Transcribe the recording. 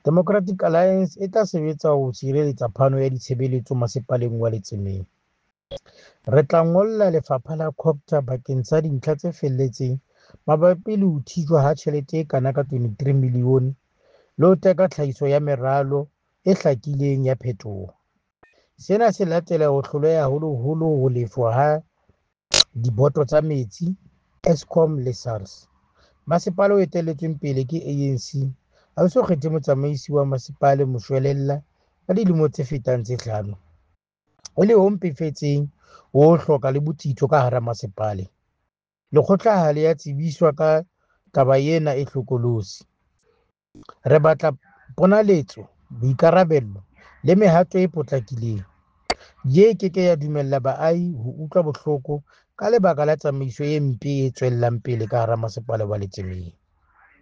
Democratic Alliance e tla sebetsa ho sireletsa phano ya ditshebeletso Masepaleng wa Letsemeng. Re tla ngolla lefapha la Cogta bakeng sa dintlha tse felletseng mabapi le ho thijwa ha tjhelete e kana ka R23 milione le ho teka tlhahiso ya meralo e hlakileng ya phetoho. Sena se latela ho hloleha haholoholo ho lefshwa ha diboto tsa metsi, Eskom le SARS. Masepala o etelletsweng pele ke ANC ha o so kgethe motsamaisi wa masepala moshwelella ka dilemo tse fetang tse hlano, e le ho mpefetseng ho hloka le botsitso ka hara masepale. Lekgotla ha le a tsebiswa ka taba ena e hlokolosi. Re batla ponaletso, boikarabello le mehato e potlakileng. DA e ke ke ya dumella baahi ho utlwa bohloko ka lebaka la tsamaiso e mpe e tswellang pele ka hara Masepala wa Letsemeng.